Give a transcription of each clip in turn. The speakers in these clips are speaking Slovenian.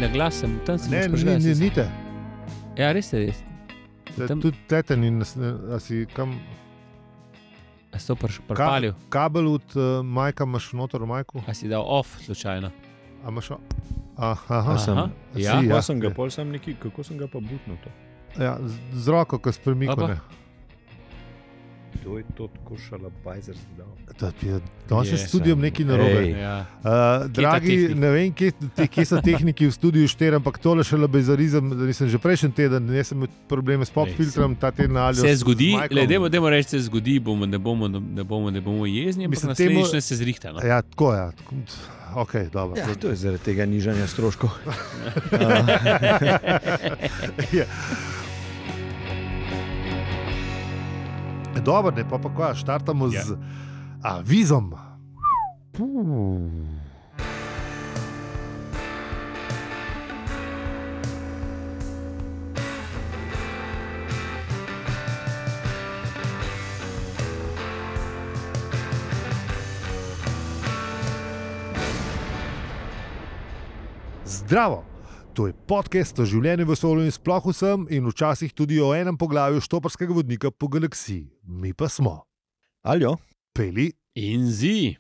na glas sem tam se Ne, ni te. Ja, res je. Tudi tete ni, a si kam... A si to pripalil? Kabel od majka imaš noter v majku? A si dal off slučajno? A imaš... Aha. Ja. Ja, sem ga, pol sem neki, kako sem ga pa butnil to? Ja, z roko, ko s premiko, ne. Kdo je to tako šalabajzer zdal? To je s studijom nekaj narobe. Ja. Dragi, ne vem, kje so tehniki v studiju 4, ampak tole šalabajzarizem, da nisem že prejšnji teden, jaz sem imel probleme s pop-filtrom, ta teden ali se zgodi, dajmo reči, se zgodi, ne bomo jezni, ampak naslednjič se zrihta. No? Ja, tako je. Ok, dobro. Ja, to je zaradi tega nižanja stroškov. Ja. Dobro, ne, pa kaj, štartamo z avizom. Zdravo! To je podcast o življenju v vesolju in sploh vsem in včasih tudi o enem poglavju štoparskega vodnika po galaksiji. Mi pa smo. Aljo. Peli. In zi.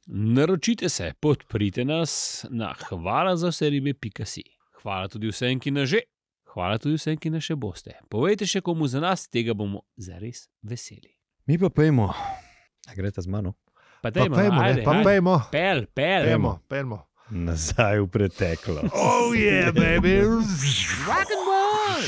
Naročite se, podprite nas na hvalazavseribe.si. Hvala tudi vsem, ki nas že. Hvala tudi vsem, ki nas še boste. Povejte še komu za nas, tega bomo zares veseli. Mi pa pejmo. A grete z mano? Pejmo. Pel. Nazaj v preteklo. Oh yeah, baby. Rock and roll.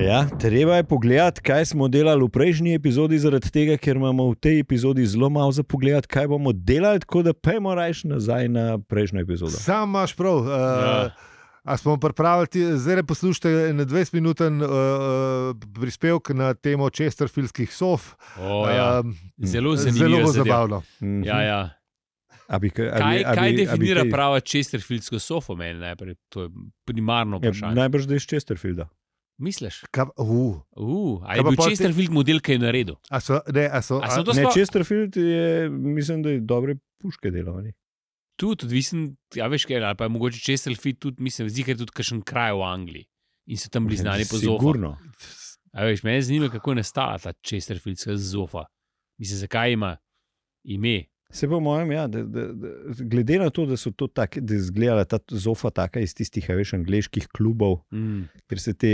Ja, treba je pogledati, kaj smo delali v prejšnji epizodi, zaradi tega, ker imamo v tej epizodi zelo malo za pogledati, kaj bomo delali, tako da pejmo rajš nazaj na prejšnjo epizodo. Sam imaš prav. A smo pripravili, zdaj poslušajte na 20-minuten prispevek na temo chesterfieldskih sof. Zelo zanimivo. Zelo zabavno. Ja. Kaj definira prava chesterfieldsko sofo meni najprej? To je primarno vprašanje. Najbrž da iz Chesterfielda. Misliš? A je bil Chesterfield model, kaj je naredil? Chesterfield je, mislim, da je dobre puške delal. Tudi odvisen, veš kaj, ali pa je mogoče Chesterfield tudi, mislim, zdi, ker je tudi kakšen kraj v Angliji in so tam bili znani po zofa. Sigurno. Veš, mene zanima, kako je nastala ta Chesterfieldska zofa. Mislim, zakaj ima ime? Se po mojem, ja, glede na to, da so to tako, da je izgledala ta zofa taka iz tistih, veš, angleških klubov, ker se te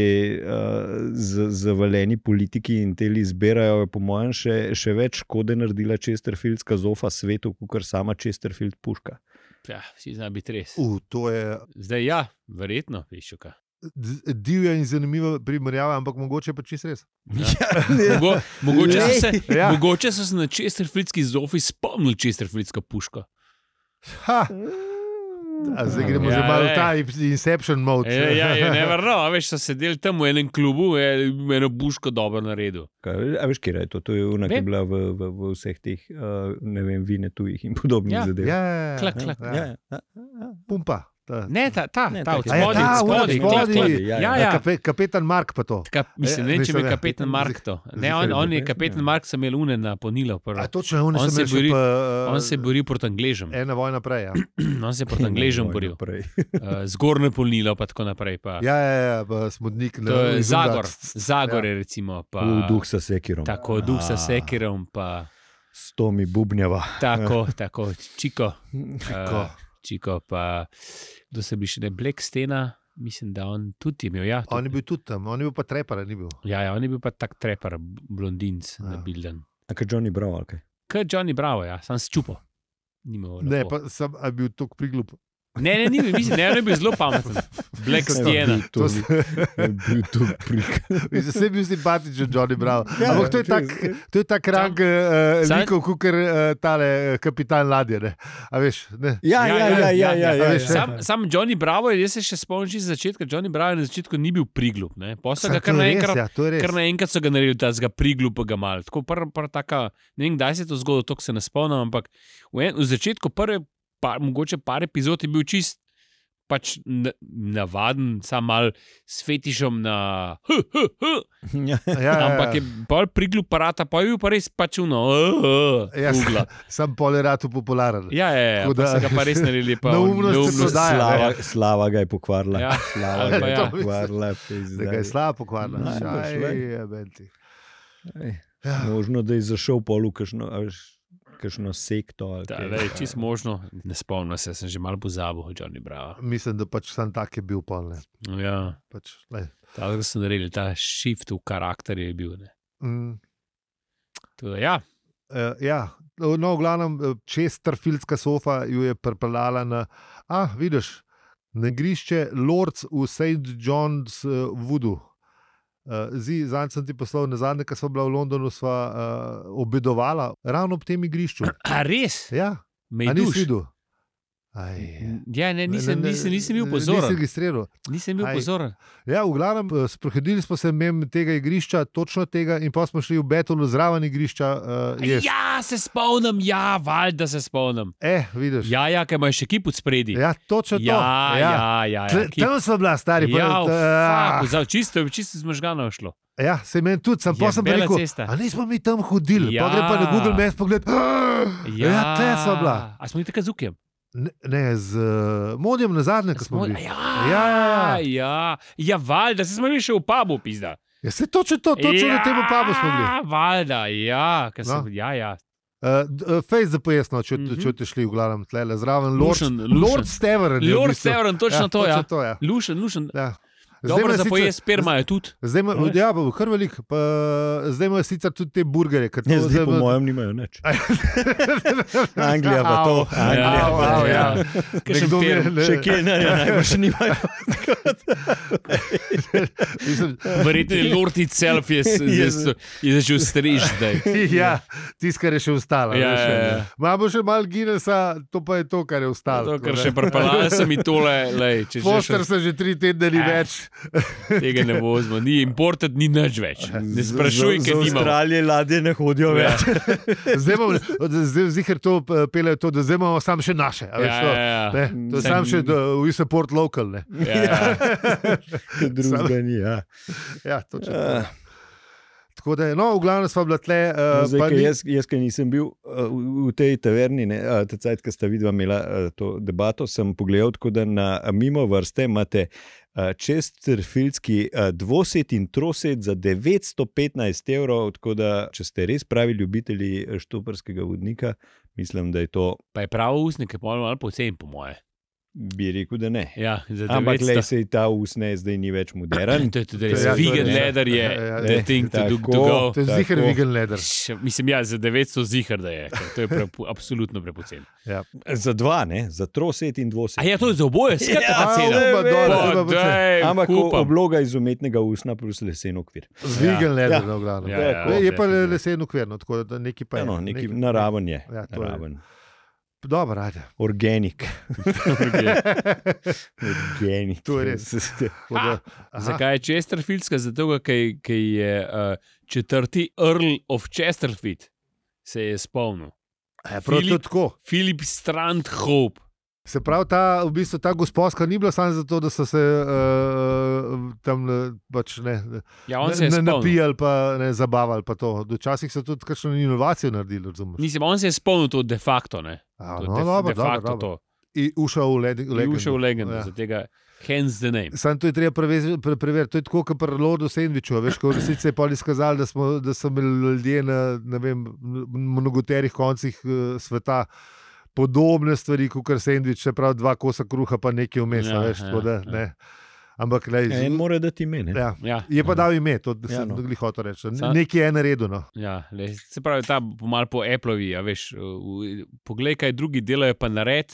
zavaleni politiki in teli zbirajo, po mojem, še več škode naredila Chesterfieldska zofa svetu, kot sama Chesterfield puška. Ja, vsi zna biti res. To je... Zdaj ja, verjetno, pišuka. Divja in zanimiva primerjava, ampak mogoče pa čisto res. Ja. Mogoče so se na Chesterfieldski zofi spomnili Chesterfieldska puška. Zdaj gremo že malo v ta Inception mode. Ja, never know. Veš, so sedeli tam v enem klubu, eno puško dobro naredil. A veš, kje je to? To je ona, ki je bila v vseh teh, ne vem, vine tujih in podobnih zadev. Ja. Klak. Pumpa. Ne, ta od spodaj. Ja. Kapetan Mark pa to. Mislim, ne, če bi kapetan Mark to. Ne, on je kapetan Mark, sem imel une na ponilo. On se bori proti Angležem. Ena vojna prej, ja. On se proti Angležem boril. Zgornje ponilo pa tako naprej. Ja, smodnik. Zagor je recimo. Duh sa sekirom. Tako, duh sa sekirom pa... S Tomi Bubnjava. Tako, Čiko, pa kdo se bi še ne Blackstena, mislim, da on tudi imel. Ja, on je bil tudi tam, on je bil pa trepar, ni bil. Ja, on je bil pa tak trepar, blondinc na bilden. A kaj Johnny Bravo, ali kaj? Kaj Johnny Bravo, ja, sam sčupo. Ne, pa sem bil tok priglup. Ne, mislim, on je bil zelo pameten. Blackstena. To je bil to prik. Vse je bil simpatičen Johnny Bravo. Ampak to je tak rang likov, kukor tale kapitan ladje, ne? A veš, ne? Ja. Sam Johnny Bravo, jaz se še spomnim iz začetka, Johnny Bravo na začetku ni bil priglup, ne? Posle ga kar naenkrat so ga naredili, da ga priglupega mal. Tako prva taka, ne vem, kdaj se to zgodilo, to se ne spomnim, ampak v začetku mogoče par epizod je bil čist pač navaden, sam mal s fetišom na ampak je bolj priglub parata, pa je bil pa res pač ugla. Sam poleratu popularen. Ja, pa se ga pa res naredili. Slava ga je pokvarila. Ja. Slava ga je pokvarila. Da ga je slava pokvarila. Možno, da je zašel polu kakšno sekto. Čisto možno. Ne spomnim se, sem že malo pozabil, Johnny Bravo. Mislim, da pač sam tak je bil pol. Ja. Pač, ta shift v karakterju je bil. Tudi, ja. No, v glavnem, Chesterfieldska sofa ju je pripeljala na, vidiš, na igrišče Lords v St. John's Woodu. Zanj sem ti poslal, nazadnje, ko sva bila v Londonu, sva obedovala ravno ob tem igrišču. A res? Ja. Me je nisi videl? Ja, nisem bil pozoren. Nisem bil pozoren. Ja, v glavnem, sprehodili smo se mimo tega igrišča, točno tega, in pa smo šli v Betolu zraven igrišča. Ja, se spomnim, valjda se spomnim. Vidiš. Ja, ker imaš še kip od spredi. Ja, točno to. Ja. Tam smo bila, stari. Čisto zmožgano šlo. Ja, se meni tudi, sem pa sem rekel, nismo mi tam hodili. Pa gre pa na Google Maps pogled. Ja, tle smo bila. A smo mi tako z Ukem? Ne, z Modjem nazadnje, ko smo bili. Ja, valjda, se smo bili še v pubu, pizda. Ja, se točno na tem pubu smo bili. Valjda, ja. Fejs za pojasno, če te šli v glavnem tlele, zraven Lord Steveren. Lord Steveren, točno to, ja. Lušen. Dobro, za pojest sperma je tudi. Ja, kar velik. Zdaj imajo sicer tudi te burgerje. Zdaj po mojem nimajo nič. Anglija pa to. Še kje najbolj še nimajo. Verjetno je Lord itself je začel striž zdaj. Ja, tiskar je še ostalo. Imamo še malo Guinnessa, to pa je to, kar je ostalo. To, kar še prepalali se mi tole. Foster se že 3 tedne ni več. Tega ne vozimo, ni imported, ni nič več. Ne sprašuj, ker nimamo. Z Avstralije ladje ne hodijo več. Zdaj zihar to pelejo to, da zdaj imamo sam še naše. To je sam še we support local. Drugega ni, Ja, točno. Tako da, v glavnem sva bila tle. Jaz, ki nisem bil v tej taverni, ta cajt, ko sta vidva imela to debato, sem pogledal, tako da na mimo vrste imate Chesterfieldski dvoset in troset za 915 €, tako da, če ste res pravi ljubitelji štoparskega vodnika, mislim, da je to... Pa je pravo usnik, je malo pocen, po moje. Bi rekel, da ne. Ja, ampak le se je ta usne, zdaj ni več modern. To je tudi res. Vegan leather je the thing to go. To je zihar vegan leather. Mislim, za 900 zihar, da je. To je absolutno prepocen. Za dva, ne? Za troset in dvoset. To je za oboje, skratka cena. Ampak obloga iz umetnega usna plus lesen okvir. Z vegan leather, v glavnem. Je pa lesen okvir, tako da neki pa je. Neki naraven je. Naraven. Dobro, ajde. Organik. To je res. Zakaj je Chesterfieldska? Zato, ker je četrti Earl of Chesterfield se je spomnil. Philip Strandhope. Se pravi, ta gosposka ni bila samo zato, da so se tam pač napijali pa ne zabavali pa to. Včasih so tudi kakšno inovacijo naredili, razumeš? Mislim, on se je spomnil to de facto, ne? Dobro. In ušel v legendo. Za tega hence the name. Samo to je treba preveriti. To je tako, kot pri Lordu Sandwichu. Veš, ko v resnici je pol izkazali, da so imeli ljudje na mnogoterih koncih sveta podobne stvari, kot kar sendvič, čeprav 2 kosa kruha, pa nekaj vmes, veš, tako da, ne. Ampak, en mora dati ime, ne? Je pa dal ime, to sem dogli hotel reči. Nekaj je naredil, no. Se pravi, ta malo po Appleovi, veš, poglej, kaj drugi delajo, pa nared,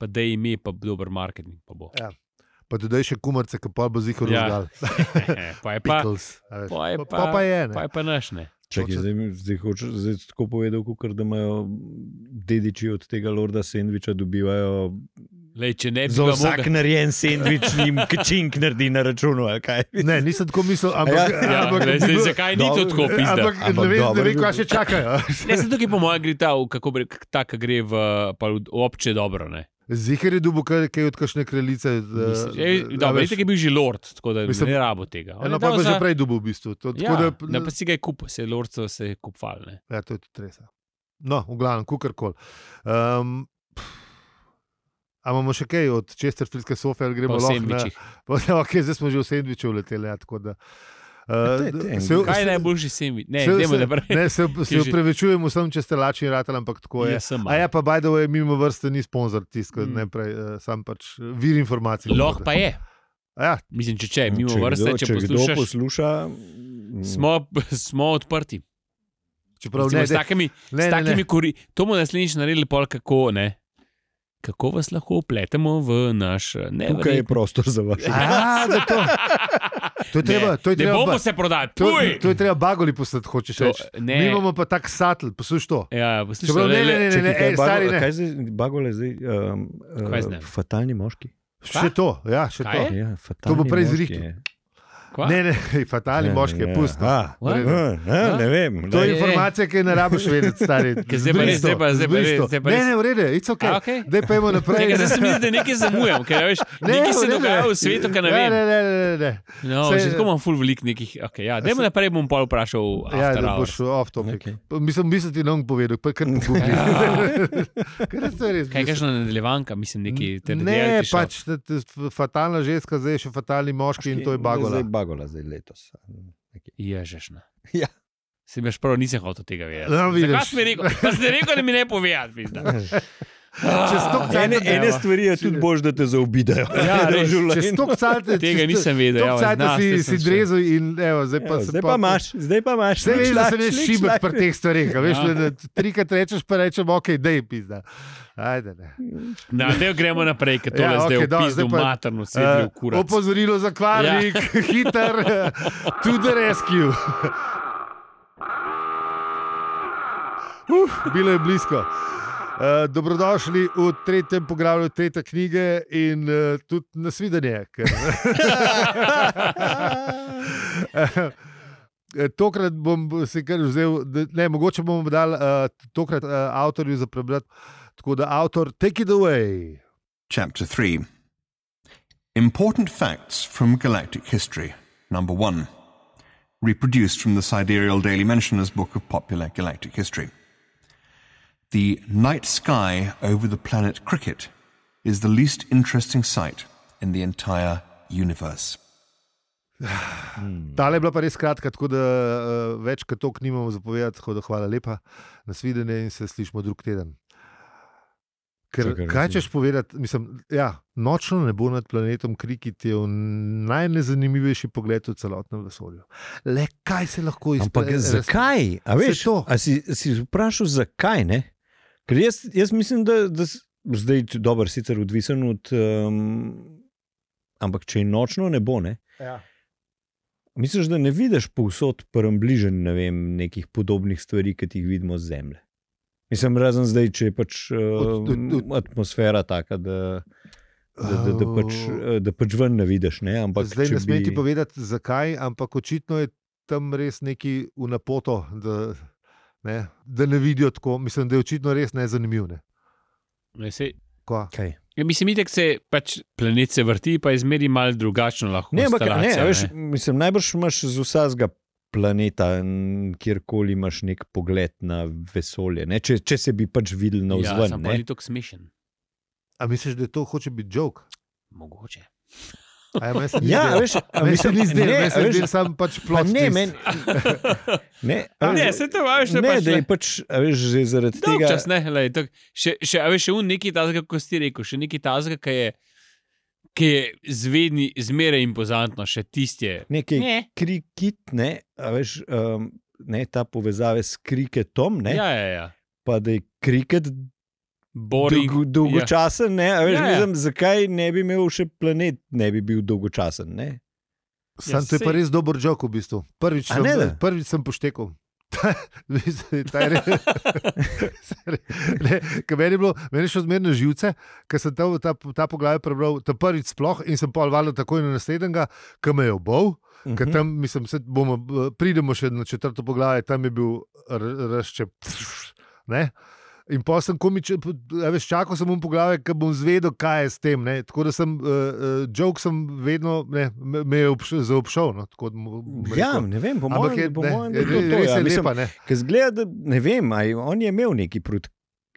pa da ime, pa dober marketing, pa bo. Pa dodaj še kumarce, ki pa bo zihar vzgal. Pa je pa naš, ne. Čakaj, zdaj tako povedal, da imajo dediči od tega Lorda Sandviča dobivajo za vsak narejen sendvič njim kčink naredi na računu, ali kaj? Ne, nisem tako mislil, ampak zakaj ni to tako pizda? Ampak ne vem, kaj še čakajo. Ne, sem tukaj po mojem gre ta, kako gre v obče dobro, ne? Zihar je dobil kaj od kakšne kraljice. Dobro, je bil že lord, tako da ne rabo tega. No, pa že prej dobil v bistvu. Pa si ga je kupil, se je lordcev se je kupval. Ja, to je tudi res. No, v glavnem, kukorkoli. A imamo še kaj od Chesterfieldske sofe, ali gremo lahko na... Okay, zdaj smo že v sendviču leteli, tako da... Kaj je najboljši sendvič? Se upravičujem vsem, če ste lačni ratali, ampak tako je. A ja, pa by the way, mimo vrste ni sponzor tiska, najprej sam pač vir informacij. Lahko pa je. Ja. Mislim, če mimo vrste, če posluša, smo odprti. Čeprav s takimi to bomo naslednjič naredili pol kako, ne? Kako vas lahko upletemo v naš... Tukaj je prostor za vaše. To je treba... Ne bomo se prodati. To je treba bagoli postati, hočeš reči. Mi imamo pa tak satl, posluš to. Ja, posluš to. Ne, stari ne. Kaj zdaj bagole zdaj? Fatalni moški. Še to, ja, še to. Ja, to bo prej zrihtil. Ne, fatalni moški je pusto. Ne vem. To je informacija, ki je ne rabiš vedeti, stari. Zdaj pa Ne, v redu, it's ok. Daj pa imamo naprej. Zdaj se mi zdi, da nekaj zamujam, ker veš, nekaj se dogaja v svetu, kar ne vem. Ne. No, že tako imam ful velik nekih, dajmo naprej, bom pa vprašal Ja, da boš off topic. Mislim ti nam povedal, pa kar pogubli. Kaj je kakšna nadaljevanka, mislim neki... Ne, pač fatalna ženska, zdaj je še fatalni moški in to je bagola. Bagola zdaj letos. Ježešna. Ja. Se mi prvo nisem hotel tega vedeti. No, zakaj si mi rekel? Pa si rekel, da mi ne povedati. Ene stvari je tudi bož, da te zaobidajo. Tega nisem vedel. Si drezel in evo, zdaj pa imaš. Se veš, da se ne šibek pri teh stvarih. Veš, trikrat rečeš, pa rečem, ok, dej pizda. Ajde, ne. Dej gremo naprej, ker tole zdaj v pizdu materno sedli v kurac. Opozorilo za kvarnik, hiter, to the rescue. Bilo je blisko. Dobrodošli v 3. poglavju 3. knjige in tudi nasvidenje. Tokrat bom si kar vzel, mogoče bomo dali tokrat avtorju za prebrati. Tako da avtor, take it away. Chapter 3. Important facts from galactic history. Number 1. Reproduced from the Sidereal Daily Mentioner's book of popular galactic history. The night sky over the planet Cricket is the least interesting sight in the entire universe. Tale je bila pa res kratka, tako da več kot toliko nimamo zapovedati, tako da hvala lepa, nasvidenje in se slišimo drug teden. Ker kaj češ povedati, mislim, nočno nebo nad planetom Cricket je najnezanimivejši pogled v celotnem vesolju. Le kaj se lahko izpelje? Ampak zakaj? A veš, si vprašal zakaj, ne? Ker jaz mislim, da zdaj dober sicer odvisen od ampak če je nočno nebo, ne? Ja. Misliš, da ne vidiš povsod bližen, ne vem, nekih podobnih stvari, ki jih vidimo z Zemlje? Mislim, razen zdaj, če je pač atmosfera taka, da pač ven ne vidiš. Ne? Ampak, zdaj ne smem ti povedati, zakaj, ampak očitno je tam res neki v napoto, da ne vidijo tako. Mislim, da je očitno res nezanimiv. Ne? Kaj? Ja, mislim, da se pač planet se vrti, pa je zmeri malo drugačno lahko. Mislim, najbrž imaš z vsega planeta, kjerkoli imaš nek pogled na vesolje. Ne? Če se bi pač videl na vzven. Ja, sam pa ni tako smešen. A misliš, da to hoče biti joke? Mogoče. Mislim, ni zdel, sam pač plot. Ne, se to vaš ne pač. Ne, da je pač, veš, že zaradi tega. Dolgčas, ne, še nekaj tazga, ko si rekel, še nekaj tazga, ki je zmeraj impozantno, še tistje. Nekaj Cricket, ne, a veš, ta povezave s Cricketom, ne, ja. Pa da je Cricket dolgočasen, ne, a veš, mislim, zakaj ne bi imel še planet, ne bi bil dolgočasen, ne. Sam to je pa res dober joke v bistvu. Prvič sem poštekal. Meni je šlo zmerno živce, ker sem ta poglavje prebral ta prvič sploh in sem pol valjda takoj na naslednjega, ki me je obol, ker tam mislim, pridemo še na 4. poglavje, tam je bil razčep, ne? In pa sem čakal sem po glavi, da bom zvedel, kaj je s tem. Ne? Tako da sem, joke sem vedno me je zaobšel. No? Ne vem, po mojem, res je lepa. Ker zgleda, da ne vem, on je imel neki proti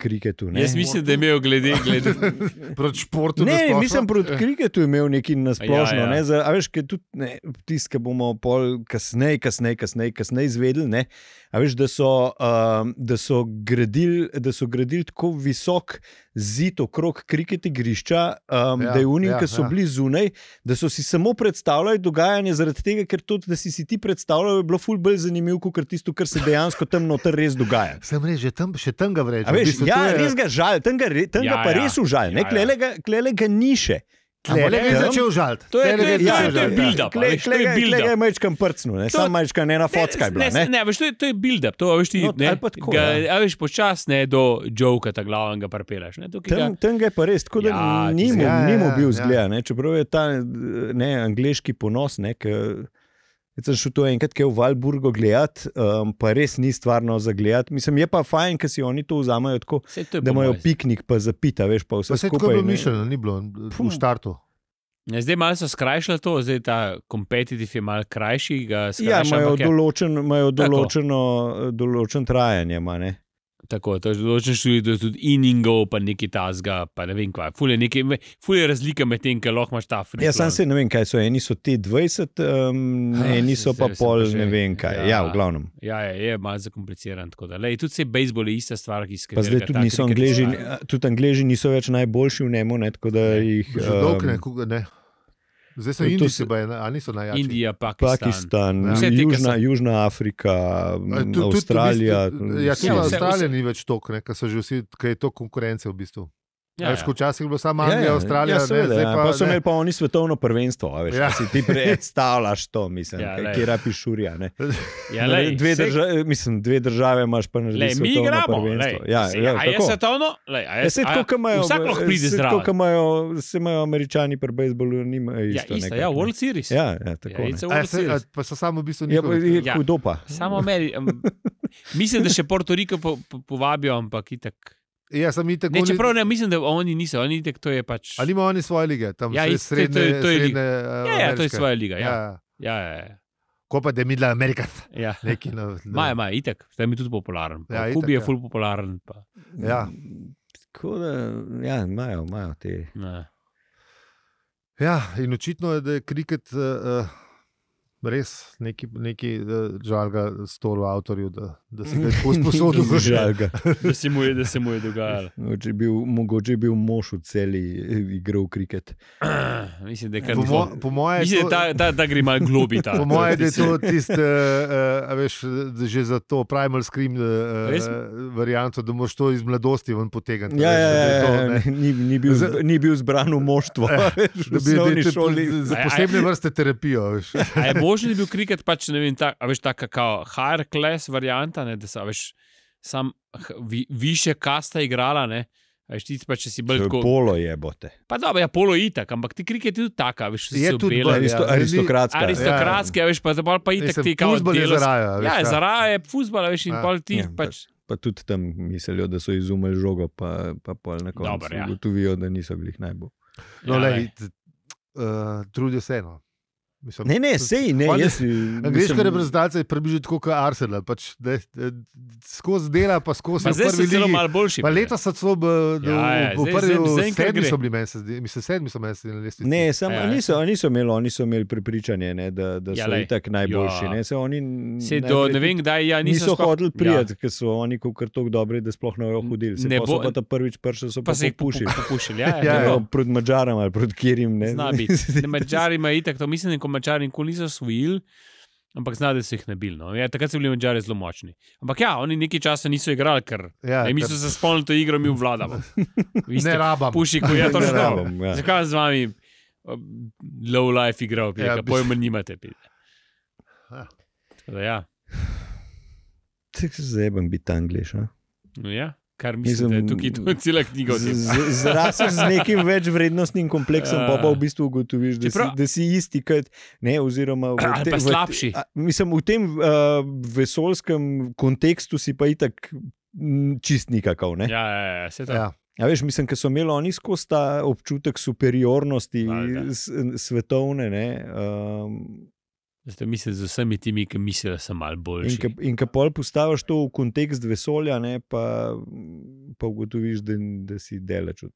kriketu. Ne? Jaz mislim, da je imel glede proti športu. Ne, mislim, proti kriketu je imel neki nasplošno. Ja. A veš, tudi tisto, ki bomo pol kasneje izvedeli, ne? A veš, da so gradili tako visok zid okrog kriket igrišča, da je unim, ki so bili zunaj, da so si samo predstavljali dogajanje zaradi tega, ker to, da si ti predstavljal, je bilo ful bolj zanimivo, kot tisto, kar se dejansko tam noter res dogaja. Sem rekel, še tam ga vreče. Res ga žal, tam ga pa res užal, klele ga ni še. Klele ga je začel žaliti. To je build-up. Klele ga je majčkan prcnil, samo majčkan ena focka je bila. Ne, veš, to je build-up, to veš ti, veš počas do joka ta glavnega prepelaš. Tam ga je pa res, tako da ni mu bil zgled, čeprav je ta angleški ponos, jaz sem šel to enkrat v Valburgo gledati, pa res ni stvarno za gledati. Mislim, je pa fajn, ker si oni to vzamejo tako, da imajo piknik pa zapita, veš, pa vse skupaj. Tako je bilo mišljeno, ni bilo v štartu. Zdaj malo so skrajšali to, zdaj ta competitive je malo krajši. Imajo določen trajanje, ne? Tako, to je določen študij, tudi inningov, pa neki tasga, pa ne vem kva. Ful je razlika med tem, ker lahko imaš ta free. Ja, sam se ne vem, kaj so. Eni so te 20, eni so pa pol, ne vem kaj. Ja, v glavnem. Ja, je malo zakompliciran. Tako da, tudi se bejzbol je ista stvar, ki pa zdaj tudi niso Angleži niso več najboljši v njemu, tako da jih... Že dolg ne. Zdaj so Indijci, a niso najjači. Indija, Pakistan. Južna Afrika, Avstralija. Tudi Avstralija ni več toliko, ker so že vsi, ker je to konkurence v bistvu. Včasih je bilo samo Anglija, Avstralija. Pa so imeli pa oni svetovno prvenstvo, veš, si ti predstavljaš to, mislim, kje rapi šurja. Dve države imaš pa narediti svetovno prvenstvo. Je svetovno? Vsak lahko pride zraven. Se imajo Američani pri bejzbolu, nimajo isto. Ja, World Series. Ja, tako. Pa so samo v bistvu njihovi. Kdo pa? Samo mislim, da še Puerto Rico povabijo, ampak itak. Ja, čeprav ne, mislim, da oni niso, oni itak, to je pač... Ali ima oni svoje lige, tam srednje Ja, to je svoja liga, ja. Ko pa da je midla Amerika. Ja. Maja, itak, zdaj mi tudi popularen. Kubi je ful popularen. Ja. Tako da, ja, imajo te... Ja, in očitno je, da je kriket res neki žalga stolu avtorju, da se ga je tako sposodil. Žalga. Da se mu je dogajalo. Mogoče je bil mož v celi igral kriket. Mislim, da je kar mislim, da gre malo globi ta. Po moje, da je to tiste, veš, že za to primal scream varianto, da moraš to iz mladosti ven potegati. Ni bil zbran v moštvo. Da bi za posebne vrste terapijo. A je možno, da je bil kriket pač, ne vem, ta kakao higher class varianta, da so, veš, sam više kasta igrala, ne, veš, ti pa, če si bolj tako... Polo jebote. Pa dobro, ja, polo itak, ampak ti kriket je tudi taka, veš, je tudi aristokratska. Aristokratska, veš, pa itak ti kao fuzbol je zaraja. Ja, zaraja je fuzbol, veš, in pol ti pač... Pa tudi tam mislijo, da so izumeli žogo, pa pol na koncu ugotovijo, da niso bili najbolj. No, trudijo se, no. Mislim, sej, ne. Angleška reprezentacija je približno tako kot Arsenal. Pač, skozi dela, pa skozi prvi ligi. Zdaj so celo malo boljši. Pa leta so celo v prvi sedmi so bili meni, mislim, sedmi so meni na lestvici. Ne, oni so imeli prepričanje, ne, da so itak najboljši. Ne vem, kdaj niso hodili prijeti, ker so oni kar toliko dobri, da sploh ne bojo hodili. Se pa so pa ta prvič prišli, so pa se popušili. Proti Madžaram ali proti kjerim. Zna biti. Madžari ima itak, to mislim, Mačari nikoli niso osvojili, ampak zna, da so jih nabili. No. Ja, takrat so bili Mačari zelo močni. Ampak ja, oni nekaj časa niso igrali, ker mi so se spomnili to igro, mi vladamo. Ne rabam. Pušiku, ja, to ne rabam. Zakaj z vami low life igral, pa pojma nimate. Ja. Tako se zebam biti Angliš, a? No ja. Kar mislim, da je tukaj cela knjiga o tem. Zrasel z nekim več vrednostnim kompleksom, pa v bistvu ugotoviš, da si isti kot, ne, oziroma... Ali pa slabši. Mislim, v tem vesoljskem kontekstu si pa itak čist nikakov. Ne? Ja, se to. Ja. Ja, veš, mislim, ker so imeli oni skozi ta občutek superiornosti svetovne. Ne, Zdaj mislim z vsemi temi, ki mislijo, da sem malo boljši. in ko pol postaviš to v kontekst vesolja, ne, pa ugotoviš, da si daleč od.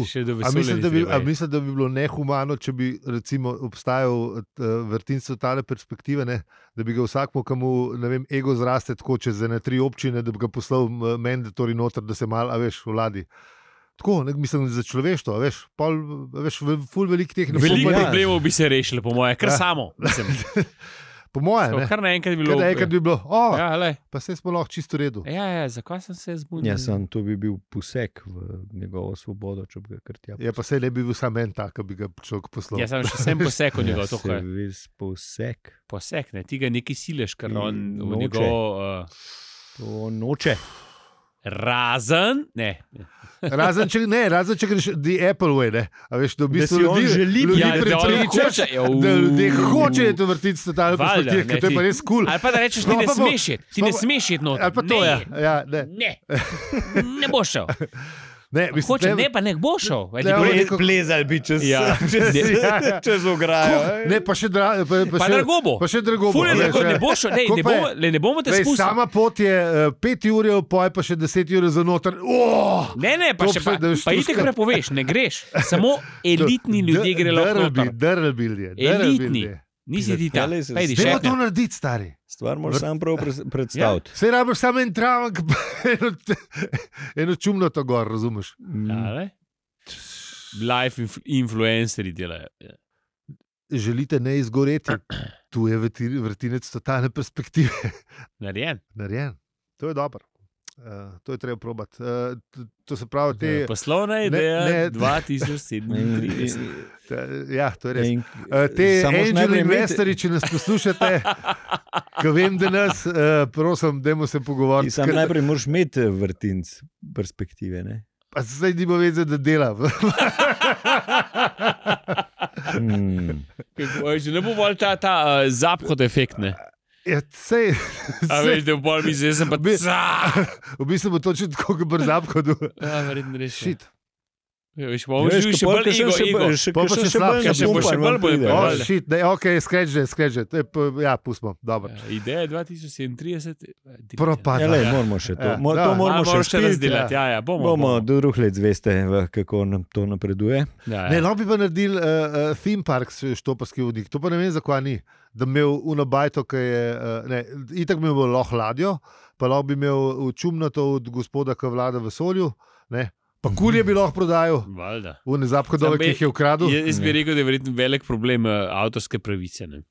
Še do A vesolja mislim, ni da bi, treba a iti. mislim, da bi bilo nehumano, če bi recimo obstajal vrtinc od tale perspektive, ne? Da bi ga vsakmu, komu ego zraste tako čez 3 občine, da bi ga poslal mandatori noter, da se malo, vladi. Tako, mislim, za človeštvo, ful velik teh Veliko Ja. problemov bi se rešili, po moje, kar samo. Mislim, Po mojem, ne. kar naenkrat bi bilo. Enkrat bi bilo, Ja, lej. pa se smo lahko čisto v redu. Ja, zakaj sem se zbudil? Ja, to bi bil poseg v njegovo svobodo, če bi ga kar tja. Je pa se ne bi bil sam en tak, ki bi ga človek poslal. Jaz sem še sem poseg od njega, to je ves poseg. poseg, ne, ti ga neki sileš, ker on v Noče. njegov To noče. razen, ne. Razen če greš the Apple way, ne. A veš, da v bistvu si on želi ljudi Ja, da on prepričaš, hoče, ja, da ljudje hočejo to vrtiti s totalno Valjda, perspektivo, ne, ker to je pa ti- res kul. Ali pa da rečeš, ti No, ne pa bo- smeš iti, ti ne pa- smeš iti noter. Ali pa to, ja. Ne, Ne boš šel. ne, mislim, Hoče, ne- ne, pa ne boš šel. Ne, on neko- Plezali bi čez, Ja. čez ograjo. Ne, pa še Pa drago bo. Pa še drago bo. Ful je veš, lahko, ja. ne boš šel, ne, Koliko ne pa je? bomo, ne bomo te Veš, spustili. sama pot je 5 ur, poj pa še 10 ur za noter. Ne, pa To še pa- pa, da veš, pa to itek skrat- prepoveš, ne greš. Samo elitni ljudje grejo lahko noter. Drlbil je. Elitni. Nisi ti ta. Peljaj se Pejdi, s- Dajmo to še. narediti, stari. Stvar moraš sam prav predstaviti. Sej rabiš samo en travnik, pa eno čumno to gor, razumeš? Life influencerji delajo. Ja. Želite ne izgoreti, tu je vrtinec totalne perspektive. Narejen. Narejen. To je dobro. To je treba probati. To se pravi, te. Poslovna ideja ne. 2037. Ja, to je res. In- Te samo moraš angel najprej imeti- investorji, če nas poslušate, ko vem, da nas, prosim, dajmo se Ti pogovoriti. sam najprej moraš imeti vrtinc perspektive. Ne? Pa zdaj ni bo vedeti, da dela. Že ne bo bolj ta zaphod efekt, ne? Ja, sej, A veš, da bo bolj misli, jaz sem pa Bi- ca. v bistvu bo točno tako, kot brzap, kot Ja, verjetno res. šit. Ja, veš, bomo že še bolj ego. Pol pa še slabše, še bo še bolj bolj O, Valjda. šit, ne, ok, skreč že. Ja, pustimo, dobro. Ideja je 2037. Propada. Ja, lej, moramo še to. Ja, To da. moramo še še spiti. razdelati. Ja, Bomo do drugih let zveste, kako nam to napreduje. Ja, Ne, lahko bi pa naredili theme park, štoparski vodnik. To pa ne vem, zakaj ni. Da bi imel unabajto, ki je, itak bi imel lahko ladjo, pa lahko bi imel čumnato od gospoda, ki vlada v vesolju, ne. Pa kulje bi lahko prodajal, Valjda. v nezaphodove, Samo ki jih je ukradel. Jaz bi rekel, da je verjetno velik problem avtorske pravice. Ne?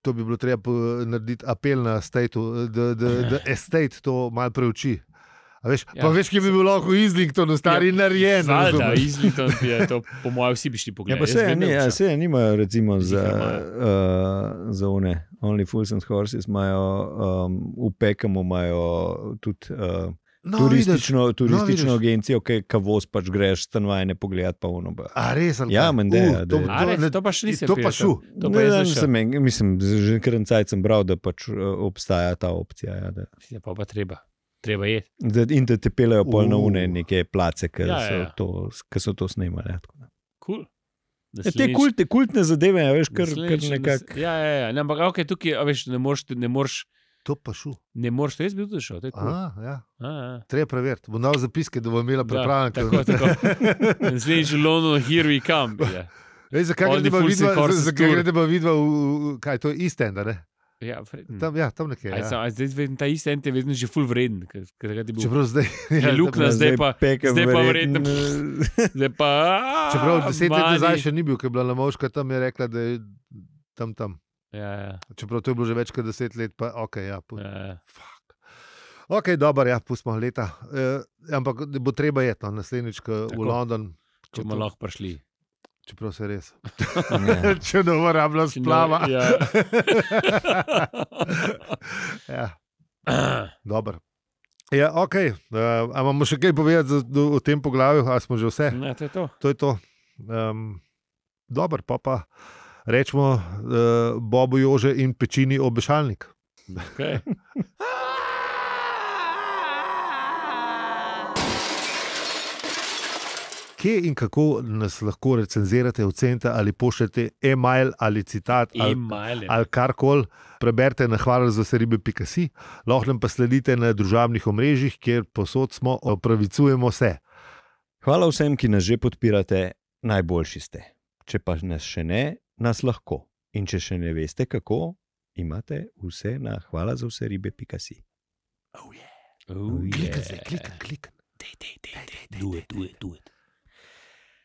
To bi bilo treba narediti apel na stateu, da estate to malo preuči. A veš, Ja. pa veš, kje bi bil lahko Islington, stari narejen. Valjda, razumeš? Islington je to, po mojem, vsi bi šli Ja, pogledati. pa se nimajo, recimo, Ziher za one, Only Fools and Horses imajo, v Pekamu imajo tudi No, vidiš. turistično vidiš. agencijo, ki voz pač greš stanovanje pogledati pa ono. A res, ali Ja, kaj? menda je, da je. A, res, to pa še nisem To pa prišel. šu. To pa je zdaj šel. Mislim, že kar en cajt sem bral, da pač obstaja ta opcija. Ja, da. Ja, pa treba. Treba je. In da te pelejo pol na une neke place, ki Ja. so to snemali. Ja, tako da. Cool. Ja, te kultne zadeve, ja, veš, kar nekako. Ja. Ne, ampak okay, tukaj, a veš, ne moreš, To pa šu. to jaz bi tudi šel. To je cool. Ja. A. Treba preveriti. Bom dal zapiske, da bo imela pripravljen. Tako. Naslednjič v Londonu, here we come. Ja, Zakaj All the fools and horses tour. gre, da bo videl, kaj to je East End, a ne? ja, Tam nekje. Ja. zdaj vem, ta isti ent je vedno že full vreden. Čeprav zdaj. Je luknja, zdaj pa verjetno. Zdaj pa. Čeprav 10 let mani. nazaj še ni bil, ker je bila Lamovška tam, je rekla, da je tam. Ja. Čeprav to je bilo že več kot 10 let, pa ok, ja. Fuck. Ok, dobro, ja, pustimo leta. Ampak bo treba jeti, no, naslednjič v Tako. London. Če bomo lahko prišli. Čeprav se res. Ja. Če ne bo rabila splava. Ja. Ja, dobro. Ja, ok. A imamo še kaj povedati o tem poglavju, ali smo že vse? Ne, to je to. To je to. Dobro, pa rečemo Bobu Jože in pečini obešalnik. Okay. kje in kako nas lahko recenzirate, ocenite ali pošljete e-mail ali citat ali karkoli, preberite na hvalazveseribe.si, lahko nam pa sledite na družabnih omrežjih, kjer posod smo, opravičujemo se. Hvala vsem, ki nas že podpirate, najboljši ste. Če pa nas še ne, nas lahko. In če še ne veste kako, imate vse na hvalazveseribe.si. Klikaj. Do it.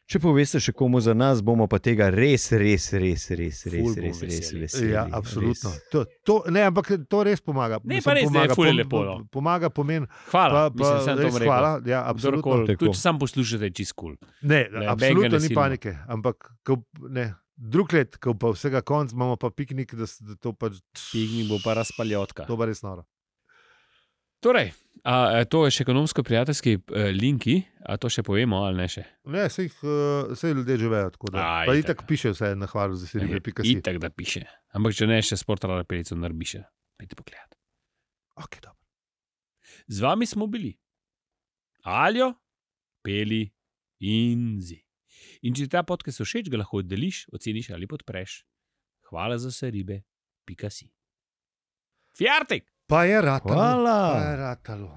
Če poveste še komu za nas, bomo pa tega res veseli. Ja, absolutno. Ampak to res pomaga. Ne, pa res, pomaga, ful je lepo. Pomaga pomen. Hvala, hvala. Ja, absolutno. Tudi če sam poslušate, čist kul. Ne, absolutno ni panike, ampak drug let, ko pa vsega konc, imamo pa piknik, da to pa... Piknik bo pa razpaljotka. To pa res noro. Torej, to je še ekonomsko-prijateljski linki, a to še povemo ali ne še? Ne, sej ljudje že vejo, tako da. Pa itak piše vse na hvalazveseribe.si. Itak da piše, ampak če ne, še Sportala Pelico narbiše. Pejte pogledat. Ok, dobro. Z vami smo bili Aljo, Peli in Zi. In če ta podcast všeč, ga lahko deliš, oceniš ali podpreš. hvalazveseribe.si. Fjartik! Pa je ratalo. Hvala. Pa je ratalo.